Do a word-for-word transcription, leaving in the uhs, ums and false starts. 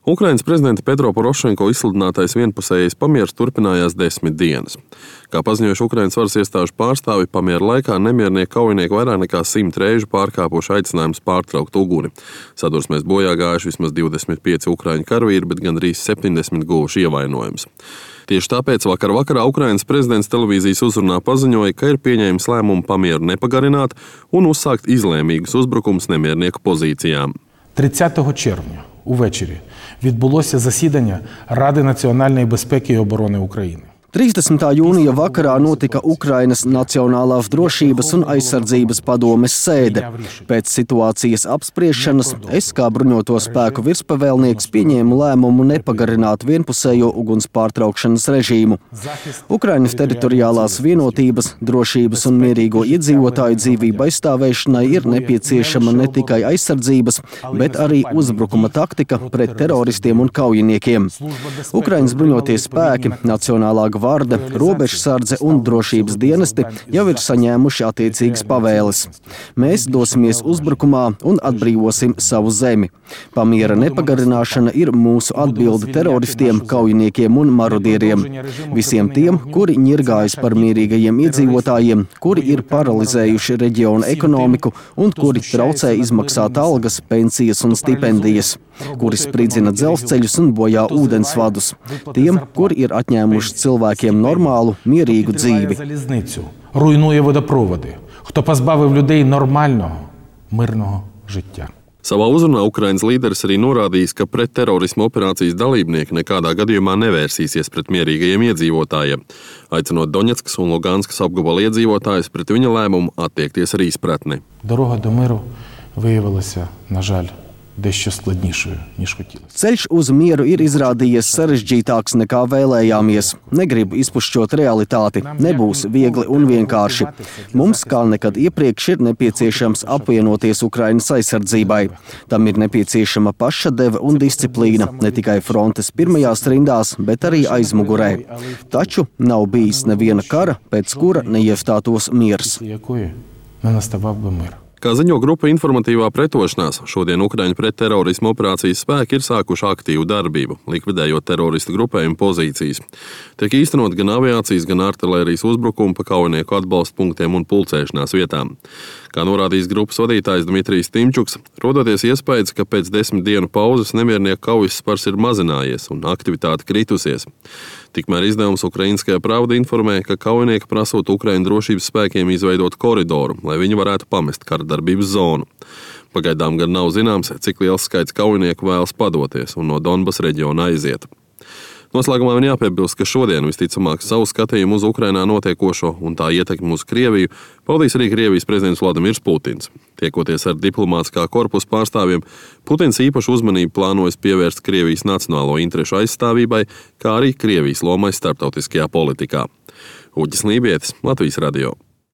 Ukrainas prezidenta Petro Porošenko izsludinātais vienpusējais pamieris turpinājās desmit dienas. Kā paziņojuši Ukrainas varas iestāžu pārstāvi, pamiera laikā nemiernieki kaujinieki vairāk nekā simt reižu pārkāpuši aicinājumus pārtraukt uguni. Sadursmēs bojā gājuši vismaz divdesmit pieci ukraiņu karavīri, bet gandrīz septiņdesmit guvuši ievainojumus. Tieši tāpēc vakar vakarā Ukrainas prezidents televīzijas uzrunā paziņoja, ka ir pieņēmis lēmumu pamieru nepagarināt un uzsākt izlēmīgus uzbrukums nemiernieku pozīcijām. тридцятого червня увечері відбулося засідання Ради національної безпеки і оборони України. trīsdesmitā jūnija vakarā notika Ukrainas Nacionālās drošības un aizsardzības padomes sēde. Pēc situācijas apspriešanas es, kā bruņoto spēku virspavēlnieks, pieņēmu lēmumu nepagarināt vienpusējo uguns pārtraukšanas režīmu. Ukrainas teritoriālās vienotības, drošības un mierīgo iedzīvotāju dzīvību aizstāvēšanai ir nepieciešama ne tikai aizsardzības, bet arī uzbrukuma taktika pret teroristiem un kaujiniekiem. Ukrainas bruņotie spēki, Nacionālā Gvarde, robežsardze un drošības dienesti jau ir saņēmuši attiecīgas pavēles. Mēs dosimies uzbrukumā un atbrīvosim savu zemi. Pamiera nepagarināšana ir mūsu atbilde teroristiem, kaujiniekiem un marodieriem. Visiem tiem, kuri ņirgājas par mierīgajiem iedzīvotājiem, kuri ir paralizējuši reģiona ekonomiku un kuri traucē izmaksāt algas, pensijas un stipendijas, kuri spridzina dzelzceļus un bojā ūdensvadus. Tiem, kuri ir atņēmuši cilvēkiem нормалу, мірійку dzīvi. Залізницю, руйнує водопроводи. Хто позбавив людей нормального, мирного життя. Savā uzrunā Ukrainas līderis arī norādījis, ka pret terorisma operācijas dalībnieki nekādā gadījumā nevērsīsies pret mierīgajiem iedzīvotājiem, aicinot Doņetskas un Luganskas apgabala iedzīvotājus pret viņa lēmumu attiekties ar izpratni. Дорога до миру виявилася, на жаль, дещо складнішою, ніж хотілося. Ceļš uz mieru ir izrādījies sarežģītāks nekā vēlējāmies. Negribu izpušķot realitāti. Nebūs viegli un vienkārši. Mums, kā nekad iepriekš, ir nepieciešams apvienoties Ukrainas aizsardzībai. Tam ir nepieciešama pašadeve un disciplīna, ne tikai frontes pirmajās rindās, bet arī aizmugurē. Taču nav bijis neviena kara, pēc kura neiestātos miers. Якої не наставав би мир. Kā ziņo grupa Informatīvā pretošanās, šodien Ukraiņu pretterorisma operācijas spēki ir sākuši aktīvu darbību, likvidējot teroristu grupējumu pozīcijas. Tiek īstenot gan aviācijas, gan artilērijas uzbrukumi pa kaujinieku atbalsta punktiem un pulcēšanās vietām. Kā norādījis grupas vadītājs Dmitrijs Timčuks, rodoties iespējas, ka pēc desmit dienu pauzes nemiernieku kaujas spars ir mazinājies un aktivitāte kritusies. Tikmēr izdevums Ukrainskajā Pravda informē, ka kaujinieki prasot Ukraiņu drošības spēkiem izveidot koridoru, lai viņi varētu pamest karadarbības zonu. Pagaidām gan nav zināms, cik liels skaits kaujinieku vēlas padoties un no Donbas reģiona aiziet. Noslēgumā man jāpiebilst, ka šodien visticamāk savu skatījumu uz Ukrainā notiekošo un tā ietekmi uz Krieviju paudīs arī Krievijas prezidents Vladimirs Putins. Tiekoties ar diplomātiskā korpusa pārstāvjiem, Putins īpašu uzmanību plānojas pievērst Krievijas nacionālo interešu aizstāvībai, kā arī Krievijas lomai starptautiskajā politikā. Uģis Lībietis, Latvijas radio.